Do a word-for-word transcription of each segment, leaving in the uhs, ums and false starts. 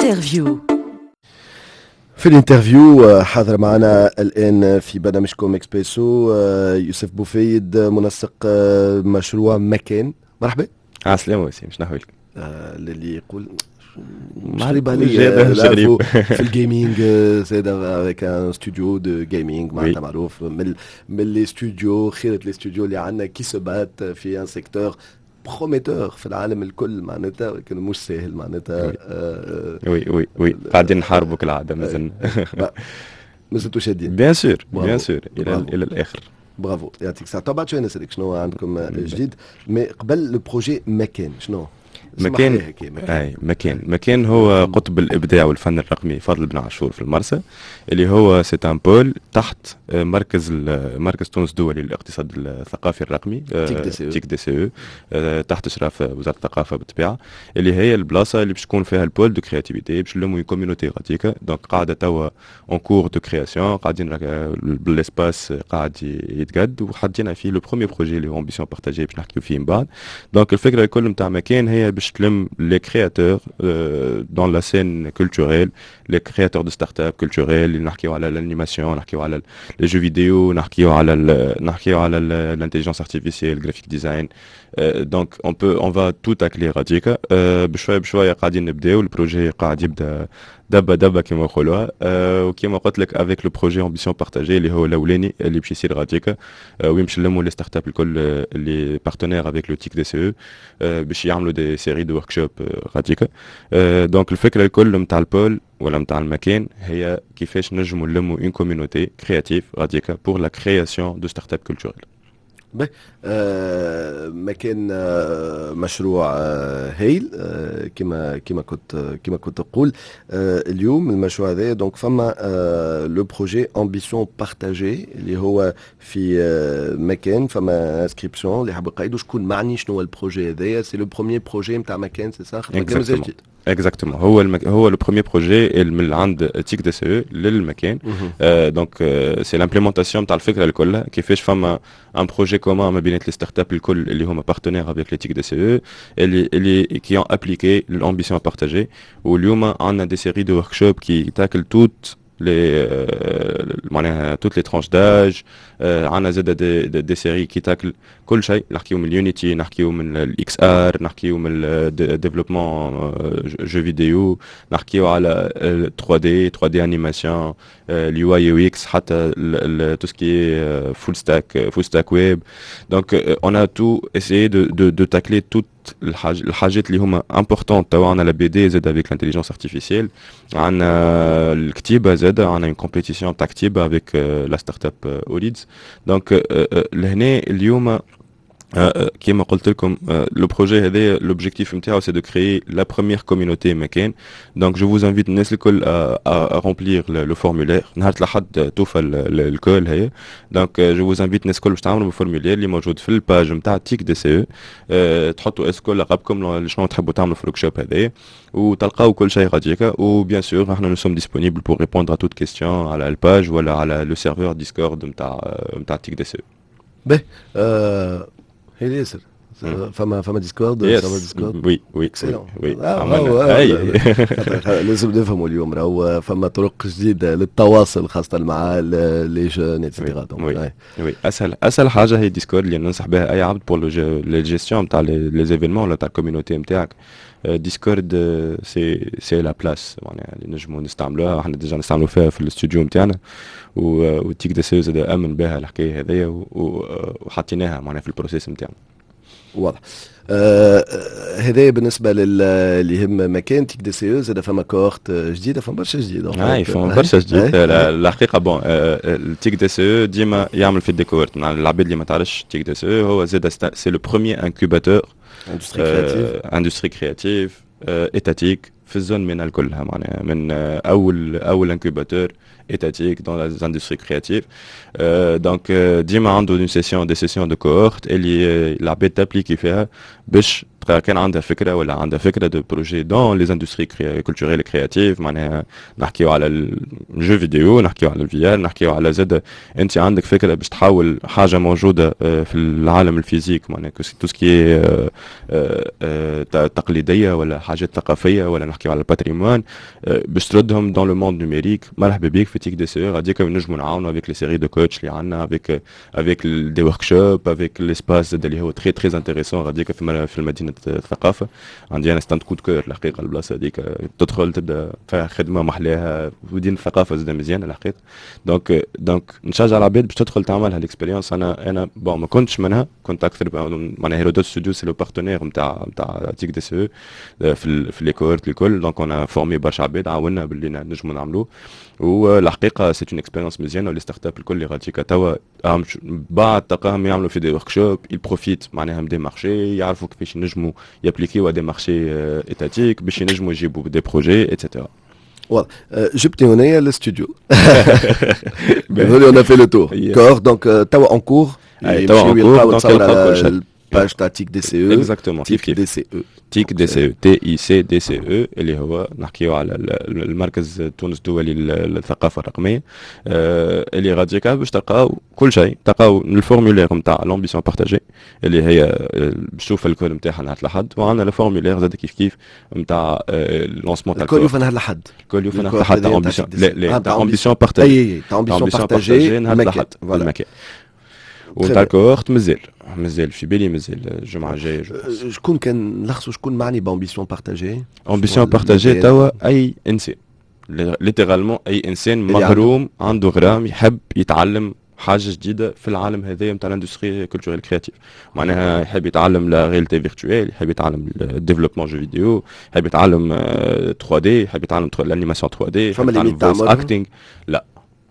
Interview. في ال interview آه، حاضر معنا الان في برنامجكم اكسبريسو آه، يوسف بوفيد، منسق آه، مشروع مكان. مرحبا. عسلامة وسيم، شنو احوالك؟ اللي يقول مش غريب عليا، في ال gaming زاد avec un studio de gaming، معناتها معروف من من les studios، خيرة les studios اللي عندنا qui se battent في un secteur prometteur في العالم الكل معناتها، ولكن مش ساهل معناتها. oui oui oui قاعدين نحاربوا كالعادة مازلنا. مازلتوا شادين. bien sûr، bien sûr، الى الى الاخر. برافو، يعطيك الصحة. بعد شوية نسألك شنو عندكم جديد، mais قبل le projet مكان شنو؟ مكان، اي، مكان مكان هو قطب الابداع والفن الرقمي فاضل بن عاشور في المرسى، اللي هو c'est un pôle تحت مركز مركز تونس الدولي للاقتصاد الثقافي الرقمي. تيك تيك دي سي او، تحت اشراف وزارة الثقافة بالطبيعه، اللي هي البلاصة اللي باش تكون فيها ال pôle de créativité، باش نلموا communauté غاديكا. donc قاعدة توا en cours de création، قاعدين بال espace قاعد يتقد، وحطينا فيه le premier projet اللي هو ambition partagée، باش نحكيو فيه من بعد. donc الفكرة الكل نتاع مكان هي باش تلم les créateurs dans la scène culturelle، les créateurs de startups culturelles، اللي نحكيو على l'animation، نحكيو على les jeux vidéo، نحكيو على نحكيو على l'intelligence artificielle، graphic design. donc on peut on va tout tacler غاديكا. بشوية بشوية قاعدين نبداو، ال projet قاعد يبدا دبا دبا كما نقولوها. وكما قلت لك avec le projet ambition partagée اللي هو الاولاني اللي باش يصير غاديكا، وين باش نلموا les startups الكل اللي partenaires avec le TIC DCE باش يعملوا des séries de workshops غاديكا. donc الفكرة الكل نتاع ال pôle ولا نتاع المكان هي كيفاش نجموا نلموا une communauté créative غاديكا pour la création de startups culturelles. باهي، آه مكان آه مشروع آه هايل، آه كما كما كنت كما كنت تقول. آه اليوم المشروع هذا، donc فما آه le projet ambition partagée اللي هو في آه مكان، فما inscription اللي حاب يقيدوا، شكون معني؟ شنو هو ال projet هذايا؟ c'est le premier projet نتاع مكان، c'est ça؟ جديد. exactement، هو المك... هو le premier projet من عند تيك دي سي او للمكان. donc c'est l'implémentation تاع الفكرة الكل، كيفاش فما un projet commun ما بين les startups الكل اللي هما partenaires avec le TIC DCE، اللي اللي qui ont appliqué l'ambition partagée. واليوم عندنا des séries de workshops qui taclent toutes les معناها toutes les tranches d'âge. عندنا زاد des, des, des séries qui taclent كل شيء، نحكيو من ال Unity، نحكيو من ال XR، نحكيو من ال développement jeux vidéo، نحكيو على ثري دي، ثري دي animation، ال UI UX، حتى tout ce qui est full stack، full stack web. donc on a tout essayé de de de tacler toutes الحاجات اللي هما importantes. توا عندنا la BD زاد avec l'intelligence artificielle، عندنا الكتيبة زاد، عندنا une compétition تاع كتيبة avec la startup اوليدز. donc لهنا اليوم كيما قلت لكم، le projet هذا l'objectif نتاعو c'est de créer la première communauté مكان. donc je vous invite الناس الكل à remplir le formulaire. نهار الاحد توفى ال call هي. donc je vous invite الناس الكل باش تعملوا ال formulaire اللي موجود في ال page نتاع تيك دي سي او، تحطوا est-ce que لقبكم، شنو تحبوا تعملوا في ال workshop هذايا، وتلقاو كل شيء غاديكا. و bien sûr احنا nous sommes disponibles pour répondre à toute question على ال page ولا على le serveur Discord نتاع نتاع تيك دي سي او. باهي، هي ياسر فما فما Discord؟ فما Discord؟ oui oui. oui. لازم نفهموا اليوم راهو فما طرق جديدة للتواصل، خاصة مع les jeunes et cetera. oui oui، اسهل اسهل حاجة هي Discord، اللي ننصح بها اي عبد pour les gestions تاع les événements ولا تاع ال communauté نتاعك. Discord c'est c'est la place معناها اللي نجموا نستعملوها. احنا déjà نستعملوا فيها في الاستوديو نتاعنا، وتيك دي سي زاد امن بها الحكاية هذيا وحطيناها معناها في ال processus نتاعنا. واضح. آه هذا بالنسبة للي يهم مكان تيك دي سي او. زاد فما cohorte جديده، فما برشا جديد. اي، فما برشا جديد الحقيقه. bon، التيك دي سي او ديما يعمل في des cohortes. العباد اللي ما تعرفش تيك دي سي او، هو زاد c'est le premier incubateur industrie créative industrie créative étatique في ال zone MENA كلها، معناها من اول اول incubateur étatique dans les industries créatives. Euh, donc ديما عنده une session des sessions de cohorte اللي العباد t'appliquer فيها باش كان عندها فكرة ولا عندها فكرة de projet dans les industries culturelles créatives، معناها نحكيو على ال jeu vidéo، نحكيو على ال VR، نحكيو على زاد انت عندك فكرة باش تحول حاجة موجودة آه، في العالم ال physique، معناها tout ce qui est تقليدية ولا حاجات ثقافية ولا نحكيو على ال patrimoine، باش تردهم dans le monde numérique، مرحبا بك في تيك دي سي او. غاديك نجموا نعاونوا avec les séries de coachs اللي عندنا، avec avec des workshops، avec l'espace اللي هو très très intéressant غاديك في في المدينة الثقافه. عندي انا c'est un coup de cœur الحقيقه، البلاصة هذيك تدخل تبدا فيها خدمة محلاها، مدينة الثقافة زاد مزيانه الحقيقه. donc donc نشجع العباد باش تدخل تعملها l'expérience. انا انا bon ما كنتش منها، كنت اكثر معناها Hérodote Studio c'est le partenaire نتاع نتاع تيك دي سي او في في les cohortes الكل، donc on a formé برشا عباد، عاونا باللي نجموا نعملوه. والحقيقة c'est une expérience مزيانه، و les startups الكل اللي غاديكا توا بعد تلقاهم يعملوا في des workshops، ils profitent معناها des marchés، يعرفوا كيفاش ينجموا يابليكيو des marchés étatiques باش ينجموا يجيبوا des projets et cetera. واضح، جبتني هنايا الاستوديو، on a fait le tour cohorte، donc توا en cours. توا en cours، donc يلقاو كل شيء page تاع تيك دي سي او. exactement، كيف كيف. دي سي او. تيك دي سي او، تي اي سي دي سي او، اللي هو نحكيو على المركز تونس الدولي للثقافة الرقميه، آه، اللي غاديكا باش تلقاو كل شيء، تلقاو ال formulaire نتاع l'ambition partagée اللي هي باش تشوف ال call نتاعها نهار الاحد، وعندنا ال formulaire زاد كيف كيف نتاع lancement تاع ال call يوفى نهار الاحد. ال call يوفى نهار الاحد تاع ambition، لا لا، تاع ambition partagée. اي اي، تاع ambition partagée نهار الاحد المكان، وتاع ال cohorte مازال مازال في بالي، مازال الجمعة الجايه. شكون كان نلخصوا، شكون معني ب ambition partagée؟ ambition partagée توا اي انسان، littéralement اي انسان مغروم، عنده غرام، يحب يتعلم حاجة جديدة في العالم هذايا نتاع l'industrie culturelle créative، معناها يحب يتعلم la réalité virtuelle، يحب يتعلم ال développement jeu vidéo، يحب يتعلم ثري دي، يحب يتعلم l'animation ثري دي، يحب يتعلم voice acting. لا،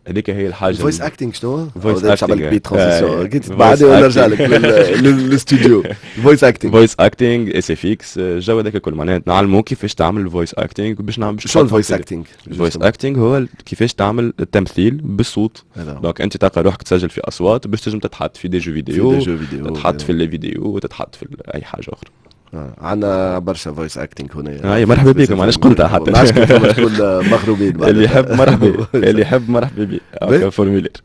هذيك هي الحاجه. voice acting شنو؟ voice acting بي transition بعد نرجع لك للاستوديو. voice acting. voice acting، SFX، الجو هذاك الكل، معناها نعلمو كيفاش تعمل voice acting باش نعمل. شنو ال voice acting؟ ال voice acting هو كيفاش تعمل التمثيل بالصوت، donc انت تلقى روحك تسجل في اصوات باش تنجم تتحط في des jeux vidéo، تتحط في les vidéos، تتحط في اي حاجة اخرى. آه. عندنا برشا voice acting هنا. اي مرحبا بكم، علاش قلتها حتى. ما عادش تكون مغرومين. اللي يحب مرحبا، اللي يحب مرحبا بك، formulaire.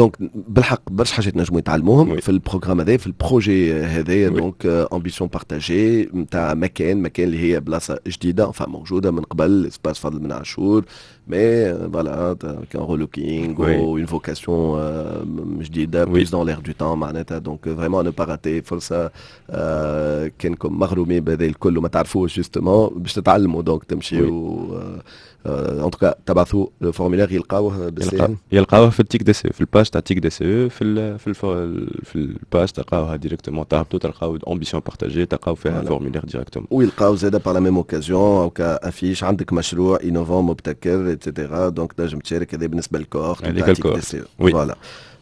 donc بالحق برشا حاجات نجموا يتعلموهم في ال programme هذا، في ال projet هذايا، donc ambition partagée نتاع مكان مكان اللي هي بلاصة جديده، موجودة من قبل، espace فضل بن عاشور، mais voilà كان relooking و une vocation جديدة plus dans l'air du temps معناتها. donc vraiment ne pas rater فرصه، كانكم مغرومين بهذا الكل وما تعرفوش justement باش تتعلموا، donc تمشيو en tout cas تبعثوا ال formulaire، يلقاوه. بالساهل يلقاوه في التيك دي سي، في ال page تاع تيك دي سي، في ال في ال في ال page تلقاوها directement، تهبطوا تلقاو ambition partagée، تلقاو فيها formulaire directement. ويلقاو زاد par la même occasion او affiche عندك مشروع innovant مبتكر et cetera، donc تنجم تشارك. هذا بالنسبة لل cohorte. هذيك ال cohorte. voilà،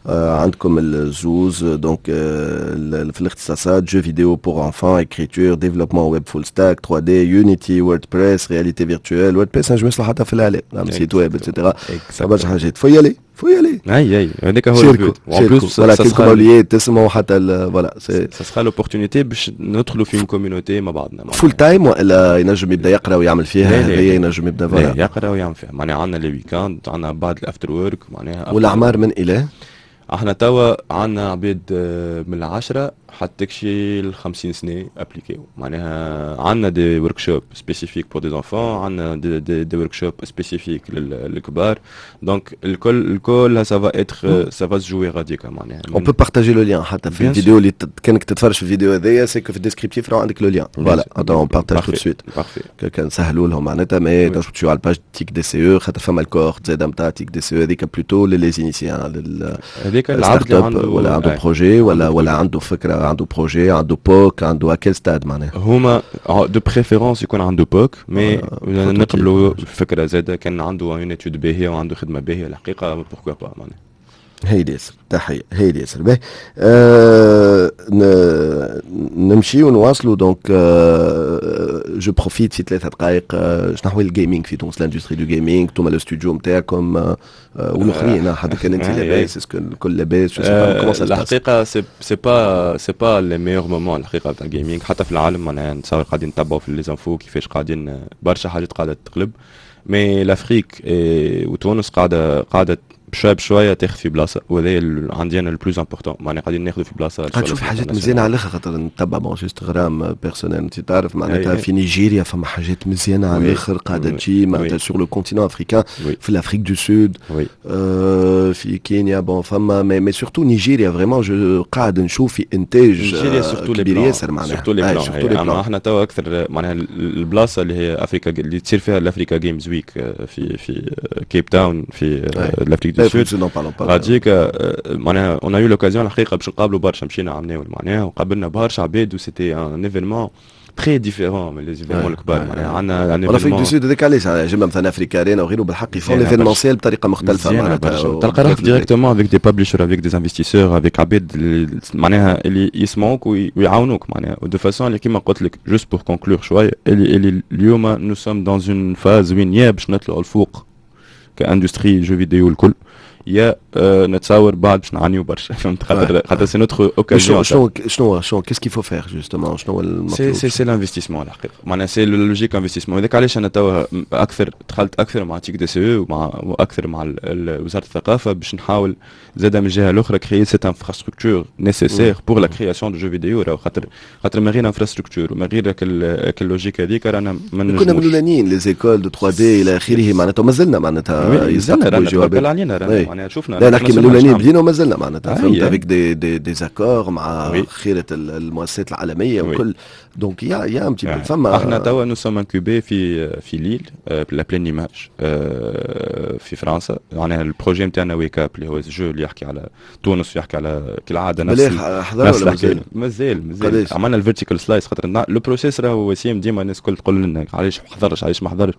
عندكم الزوز donc في الاختصاصات: jeux vidéo pour enfants، écriture، développement web full stack، ثري دي، Unity، WordPress، réalité virtuelle. WordPress نجم يصلح حتى في الاعلام، نعمل site web et cetera، برشا حاجات. faut y aller، faut y aller. اي اي، هذاك هو ال but. en plus voilà كلكم اوليات تسمعوا حتى voilà. ça sera l'opportunité باش ندخلوا في communauté مع بعضنا. full time والا ينجم يبدا يقرا ويعمل فيها؟ هذايا ينجم يبدا voilà يقرا ويعمل فيها، معناها عندنا les week-ends، عندنا بعد ال after work معناها. والاعمار من الى؟ احنا توا عندنا عباد آه، من العشرة حتى تكشي ال خمسين سنة ابليكيو. معناها عندنا des workshops spécifiques pour des enfants، عندنا des, des, des workshops spécifiques للكبار، donc الكل الكل ça va être ça va se jouer غاديكا معناها. on peut partager le lien حتى في الفيديو اللي كانك تتفرج في الفيديو هذايا، c'est que في ال descriptif راه عندك le lien. voilà، on partage tout de suite كان نسهلوا لهم معناتها. mais تنجموا تمشيو على ال page تيك دي سي او، خاطر فما ال cohorte زاد نتاع تيك دي سي او، هذيك plutôt les initiés. هذيك العبد اللي عنده ولا عنده projet ولا ولا عنده فكره، عنده projet، عنده POC، عنده à quel stade معناها؟ هما de préférence يكون عنده POC، mais نقبلوا فكرة زاده كان عنده une étude باهيه وعنده خدمة باهيه الحقيقه، pourquoi pas معناها. هايل ياسر، تحية، هايل ياسر. باهي، آه نمشي ونواصلوا. donc آه je profite في ثلاثة دقائق، آه شنو احوال ال gaming في تونس، l'industrie du gaming؟ انتم le studio نتاعكم آه والاخرين، حتى كان انت لاباس، est-ce que الكل لاباس؟ الحقيقة c'est c'est pas c'est pas les meilleurs moments الحقيقة تاع ال gaming حتى في العالم. معناها نتصور قاعدين نتبعوا في les infos كيفاش قاعدين برشا حاجات قاعدة تقلب، mais l'Afrique وتونس قاعده قاعده بشوية بشوية تاخذ في بلاصه، وهذا عندي انا le plus important، معناها قاعدين ناخذوا في بلاصه. قاعد تشوف حاجات مزيانه على الاخر، خاطر نتبع، bon juste غرام personnel، انت تعرف معناتها في نيجيريا فما حاجات مزيانه على الاخر قاعدة تجي، معناتها sur le continent africain، في l'Afrique du Sud، في كينيا، bon فما mais mais surtout نيجيريا vraiment je قاعد نشوف في انتاج نيجيريا surtout كبير ياسر معناها. surtout les plans. اما احنا توا اكثر معناها البلاصة اللي هي افريكا اللي تصير فيها ال Africa Games Week في في كيب تاون في l'Afrique du Sud، غاديك معناها on a eu l'occasion الحقيقة باش نقابلوا برشا. مشينا عملناو معناها وقابلنا برشا عباد و c'était un événement très différent من les événements الكبار. معناها عندنا l'Afrique du Sud، هذاك علاش جبنا مثلا AfricArena وغيره، بالحق ils font l'événementiel بطريقة مختلفة. معناتها تلقى روحك directement avec des publishers، avec des investisseurs، avec عباد معناها اللي يسمعوك ويعاونوك معناها de façon اللي كيما قلت لك. juste pour conclure شويه، اللي اللي اليوم nous sommes dans une phase وين يا باش نطلعوا الفوق ك industrie jeux vidéo الكل، يا آه نتصور بعد باش نعانيو برشا، فهمت؟ خاطر خاطر c'est notre occasion. شنو شنو شنو qu'est-ce qu'il faut faire justement؟ شنو المطلوب؟ c'est c'est c'est l'investissement الحقيقه، معناها c'est logique investissement. هذاك علاش انا توا اكثر دخلت اكثر مع تيك دي سي ومع واكثر مع وزارة الثقافه، باش نحاول زاد من الجهة الاخرى créer cette infrastructure nécessaire pour la création de jeux vidéo. راهو خاطر خاطر من غير infrastructure ومن غير ال logique هذيك رانا ما كنا من الاولانيين les écoles de ثري دي الى اخره، معناتها مازلنا معناتها يستقبلوا علينا معناها شفنا. لا، نحكي من الاولانيين بدينا ومازلنا معناتها، فهمت، avec des des des accords مع خيره المؤسسات العالمية وكل. donc y a y a un petit فما احنا توا nous sommes incubés في في ليل، La Pleine Image في فرنسا. معناها ال projet نتاعنا Wake Up، اللي هو jeu اللي يحكي على تونس ويحكي على كالعادة نفس حضر ولا مازال؟ مازال مازال. عملنا ال vertical slice، خاطر le processus راهو وسيم ديما الناس الكل تقول لنا علاش ما حضرش، علاش ما حضرش.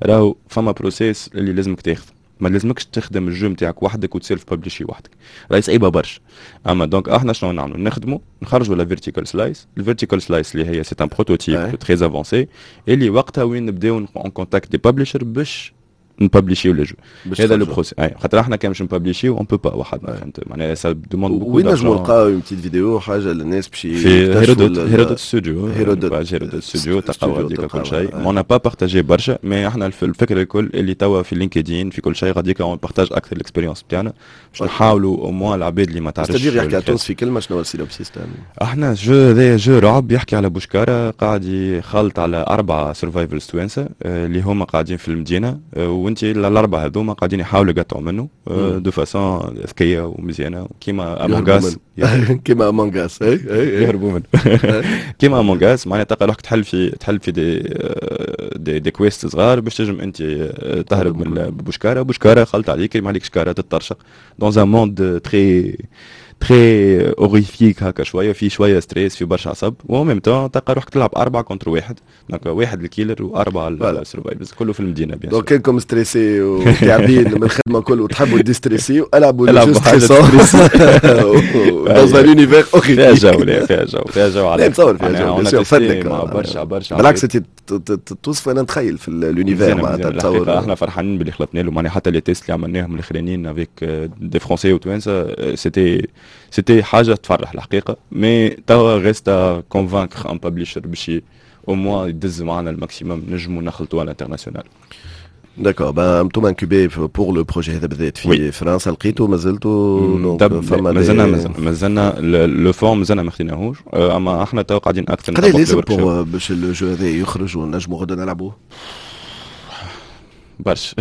راهو فما processus اللي لازمك تاخذ، ما لازمكش تخدم ال jeu نتاعك وحدك وت self publisher وحدك، راهي صعيبة برشا. اما donc احنا شنو نعملوا؟ نخدموا نخرجوا la vertical slice، ال vertical slice اللي هي c'est un prototype très avancé، اللي وقتها وين نبداو en contact des publishers باش نبابليشيو le jeu. هذا le processus، خاطر احنا كان باش نبابليشيو on peut pas وحدنا، فهمت؟ معناها ça demande beaucoup. وين نجموا نلقاو une petite vidéo، حاجة للناس باش في هيرودوت، هيرودوت ستوديو. هيرودوت، هيرودوت ستوديو تلقاو هذيك كل شيء. on n'a pas partagé برشا، mais احنا الفكرة الكل اللي توا في LinkedIn، في كل شيء غاديك on partage اكثر l'expérience بتاعنا باش نحاولوا au moins العباد اللي ما تعرفش. c'est-à-dire يحكي على تونس في كلمه، شنو ال synopsis؟ احنا jeu هذايا jeu رعب يحكي على بوشكاره قاعد يخلط على اربعة survivals توانسة اللي هما قاعدين في المدينه، وانت الاربعة هذوما قاعدين يحاولوا يقطعوا منه de façon ذكية ومزيانه كيما Among Us. كيما Among Us. اي اي يهربوا منه كيما Among Us. معناها تلقى روحك تحل في تحل في des des, des quests صغار باش تنجم انت تهرب من بوشكاره. بوشكاره خلط عليك، ما عليك شكاره تطرشق dans un monde très très horrifique هكا شويه، في شوية stress، في برشا عصب، و même temps تلقى روحك تلعب أربعة contre واحد، donc واحد ال killer وأربعة ال survivors، كله في المدينة bien. donc كانكم stressés وتعبين من الخدمة كل وتحبوا déstresser، العبوا jeu stressant dans un univers horrifique. فيها جو، لا فيها جو، فيها جو. على نتصور فيها جو، فدلك مع برشا برشا. بالعكس، انت توصف انا نتخيل في l'univers معناتها تصور. احنا فرحانين باللي خلطنا له، معناها حتى les tests اللي عملناهم الاخرانيين avec des Français وتوانسه، c'était c'était حاجة تفرح الحقيقه. mais توا reste à convaincre un publisher باش au moins يدز معنا ال maximum نجموا نخلطوا على l'international. d'accord، ben انتم incubés pour le projet هذا بالذات في فرنسا، لقيتوا مازلتوا؟ فما مازلنا مازلنا le fonds مازلنا ما خديناهوش، اما احنا تو قاعدين اكثر. قد لازم pour باش ال jeu هذا يخرج ونجموا غدا نلعبوه؟ برشا،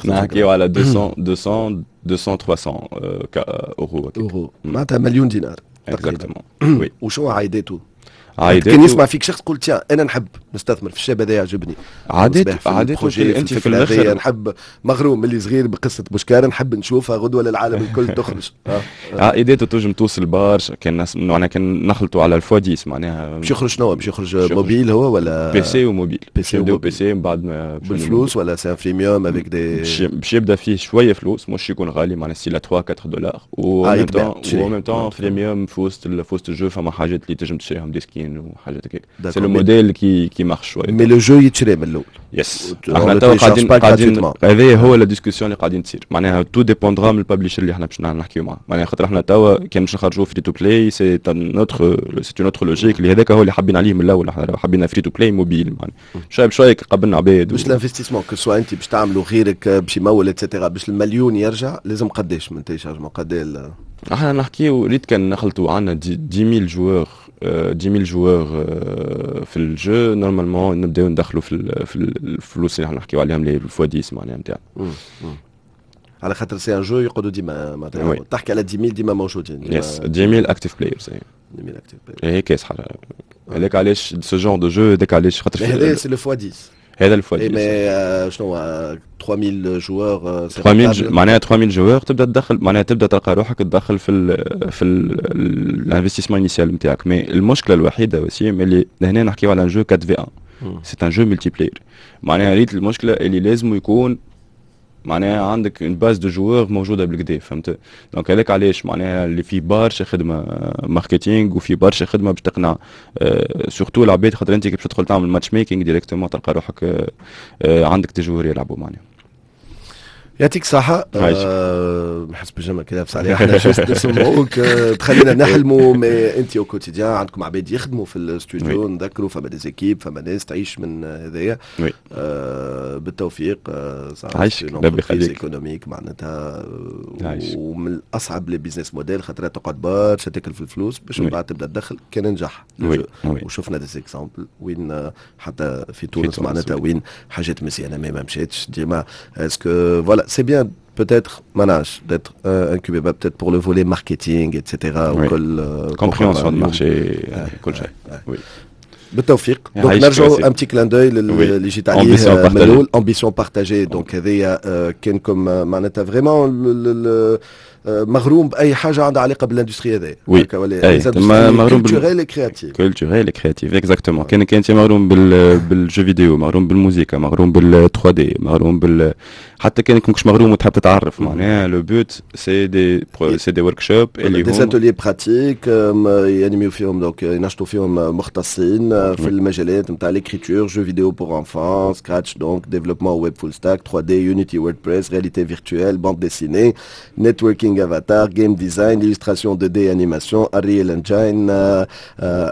نحكيو على ميتين ميتين ميتين ثلاثمية اورو. اورو، معناتها مليون دينار. exactement، oui. وشو عايداته؟ عايدات. كان يسمع فيك شخص قلت tiens، انا نحب نستثمر في الشاب هذا، يعجبني. عادات عادات. انت في الاخر نحب، مغروم اللي صغير بقصة بوشكار، نحب نشوفها غدوه للعالم الكل تخرج. آه. عائدات تنجم توصل برشا كان معناها كان نخلطوا على ال fois عشرة معناها. باش يخرج شنو؟ باش يخرج موبيل هو ولا؟ PC و mobile. PC و PC من بعد. بالفلوس ولا c'est freemium avec des باش يبدا فيه شوية فلوس، مش يكون غالي، معناها c'est ثلاثة أربعة دولار، و و même temps freemium في وسط في وسط ال jeu فما حاجات اللي تنجم تشريهم، des skins وحاجات هكاك. c'est le modèle qui qui marche شويه. mais le jeu يتشري من الاول؟ yes، احنا توا قاعدين قاعدين هذه هو la discussion اللي قاعدين تصير، معناها tout dépendra من ال publisher اللي احنا باش نحكيو معاه، معناها خاطر احنا توا كان باش نخرجوا free to play، c'est notre c'est notre logique اللي هذاك هو اللي حابين عليه من الاول. احنا حبينا free to play mobile، معناها شوية بشوية قبلنا عباد. باش l'investissement، que ce soit انت باش تعملوا، غيرك باش يمول et cetera، باش المليون يرجع لازم قداش من téléchargement؟ قد احنا نحكيو ريت كان نخلطوا عندنا عشرة آلاف joueurs، عشرة آلاف joueurs في ال jeu، normalement نبداو ندخلوا في في الفلوس اللي احنا نحكيو عليهم، les fois عشرة معناها نتاع. على خاطر c'est un jeu يقعدوا ديما، معناتها تحكي على عشرة آلاف ديما موجودين. yes، عشرة آلاف active players. عشرة آلاف active players هي كاس حاجه، هذاك علاش ce genre de jeu، هذاك علاش خاطر هذا c'est le fois عشرة. هذا ال fois عشرة. mais شنو ثلاثة آلاف joueurs؟ ثلاثة آلاف، معناها ثلاثة آلاف joueurs تبدا تدخل، معناها تبدا تلقى روحك تدخل في ال في ال investissement initial نتاعك. mais المشكلة الوحيدة وسيم اللي هنا نحكيو على jeu أربعة v واحد، c'est un jeu multiplayer، معناها ريت المشكلة اللي لازم يكون معناها عندك une base de joueurs موجودة بالكدا، فهمت؟ donc هذاك علاش معناها اللي فيه برشا خدمة marketing وفي برشا خدمة باش تقنع surtout العباد، خاطر انت كي باش تدخل تعمل matchmaking directement تلقى روحك آه، آه، عندك des joueurs يلعبوا معناها. يعطيك الصحة. أه نحس بالجمل كذا بس عليها، احنا juste نسمعوك آه، تخلينا نحلموا، mais انت au quotidien عندكم عباد يخدموا في الاستوديو، نذكروا فما des équipes، فما ناس تعيش من هذايا. أه بالتوفيق. أه عايشك، ربي يخليك. économique معناتها ومن الاصعب les business models، خاطر تقعد برشا تاكل في الفلوس باش من بعد تبدا تدخل كان نجح. وشفنا des exemples وين حتى في تونس معناتها وين حاجات مزيانه mais ما مشاتش ديما. est-ce que voilà، c'est bien peut-être manage d'être euh, incubé peut-être pour le volet marketing et cetera. oui. compréhension de marché، كل شيء. oui. بالتوفيق. donc نرجعوا un petit clin d'œil اللي جيت عليه من الاول، ambition partagée. donc هذيا كانكم معناتها vraiment مغروم باي حاجة عندها علاقة بال industrie هذا. oui، مغروم culturelle créative. culturelle créative، exactement. كان انت مغروم بال بال jeux vidéo، مغروم بالموسيقى، مغروم بال ثري دي، مغروم بال حتى كانك مش مغروم وتحب تتعرف، معناها le but c'est des c'est des workshops. اللي des ateliers pratiques يانيميو فيهم، donc ينشطوا فيهم مختصين في المجالات نتاع l'écriture، jeux vidéo pour enfants، Scratch، donc développement web full stack، ثري دي، Unity، WordPress، réalité virtuelle، bande dessinée، networking avatar، game design، illustration deux D، animation، Unreal Engine،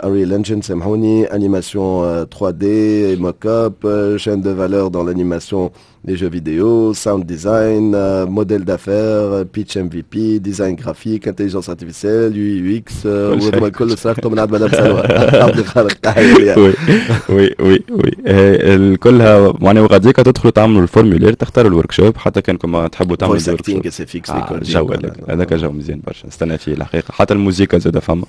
Unreal Engine سامحوني، animation ثري دي، mocap، chaîne de valeur dans l'animation des jeux vidéo، sound design، euh, modèle d'affaires، pitch M V P، design graphique، intelligence artificielle، U I U X، وهذوما الكل صرفتهم من عند مدام سلوى عبد الخالق. oui oui oui oui، كلها معناها وغاديك تدخلوا تعملوا ال formulaire، تختاروا ال workshop، حتى كانكم تحبوا تعملوا voice acting، SFX. جو هذاك جو مزيان برشا، نستنى فيه الحقيقه، حتى الموسيقى زاد فما.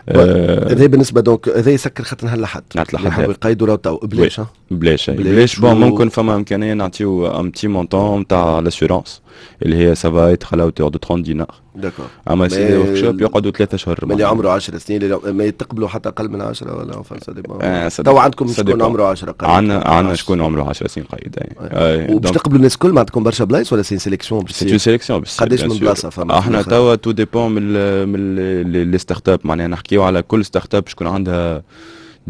هذا بالنسبة donc هذا يسكر خاطر نهار الاحد. نهار الاحد. يحبوا يقيدوا راهو تو بلاش. بلاش بلاش. bon، ممكن فما امكانية نعطيو un petit montant تاع l'assurance اللي هي ça va être à la hauteur de ثلاثين دينار. d'accord. اما c'est des workshops يقعدوا ثلاثة اشهر. اللي عمره عشر سنين ما يتقبلوا حتى اقل من عشرة ولا enfin تو عندكم شكون عمره عشرة؟ عندنا عندنا شكون عمره عشر سنين قيد. وباش تقبلوا الناس الكل؟ ما عندكم برشا بلايص ولا c'est sélection؟ c'est une sélection. قداش من بلاصة فما؟ احنا توا tout dépend من من les startups، معناها نحكيو على كل startup شكون عندها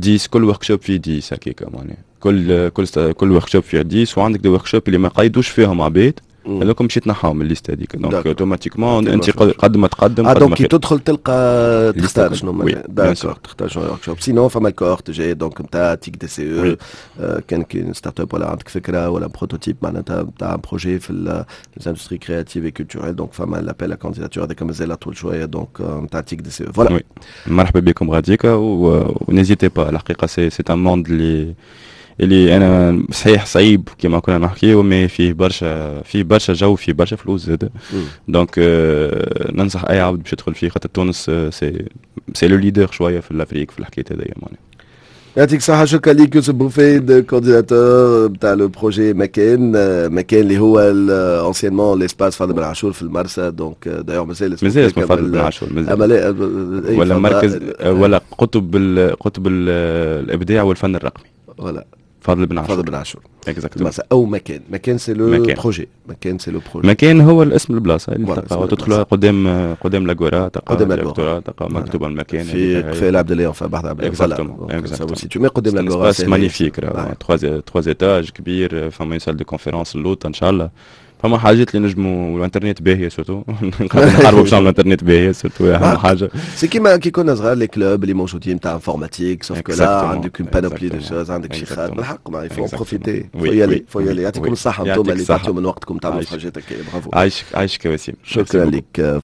عشرة، كل workshop فيه عشرة هكاكا، معناها كل كل كل workshop فيه عشرة، وعندك des workshops اللي ما قيدوش فيهم عباد، هذوك مشيت تنحاهم من ال liste هذيك، donc automatiquement انت قد ما تقدم. اه donc كي تدخل تلقى تختار شنو، d'accord، تختار شنو workshop. sinon فما ال cohorte جاي donc نتاع تيك دي سي او، كان كي startup ولا عندك فكرة ولا prototype معناتها نتاع projet في les industries créatives culturelles، donc فما l'appel à candidatures هذاك مازال طول شويه، donc نتاع تيك دي سي او، voilà. مرحبا بكم غاديكا و n'hésitez pas، الحقيقة c'est c'est un monde اللي اللي انا صحيح صعيب كما كنا نحكيو، mais فيه برشا فيه برشا جو، فيه برشا فلوس زاد. donc آه ننصح اي عبد باش يدخل فيه، خاطر تونس c'est c'est le leader شوية في l'Afrique في الحكاية هذيا معناها. يعطيك الصحة، شكرا لك يوسف بوفيد، coordinateur بتاع le projet مكان، مكان اللي هو anciennement l'espace فاضل بن عاشور في المرسى. donc d'ailleurs مازال. مازال اسمه فاضل بن عاشور، مازال، ولا مركز ولا قطب قطب الابداع والفن الرقمي. voilà. فاضل بن عاشور. فاضل بن عاشور. exactement. او مكان، مكان c'est le projet، مكان c'est le projet. مكان هو الاسم البلاصة اللي تلقاها، تدخلها قدام قدام l'agora، تلقى قدام l'agora. تلقى مكتوب المكان. في في العبد الله، في بحر عبد الله. mais قدام l'agora. espace magnifique، trois trois étages كبير، فما salle de conférence اللوطه ان شاء الله، فما حاجات اللي نجموا، والانترنت باهيه surtout، نحاربوا باش نعملوا انترنت باهيه surtout، اهم حاجه. c'est كيما كي كنا صغار، les clubs اللي موجودين تاع informatique، sauf que là عندك une panoplie de choses، عندك شيخات بالحق ما il faut profiter، faut y aller، faut y aller. يعطيكم الصحة انتم اللي تعطيو من وقتكم تعملوا حاجات هكا، برافو. عايشك عايشك وسيم. شكرا لك.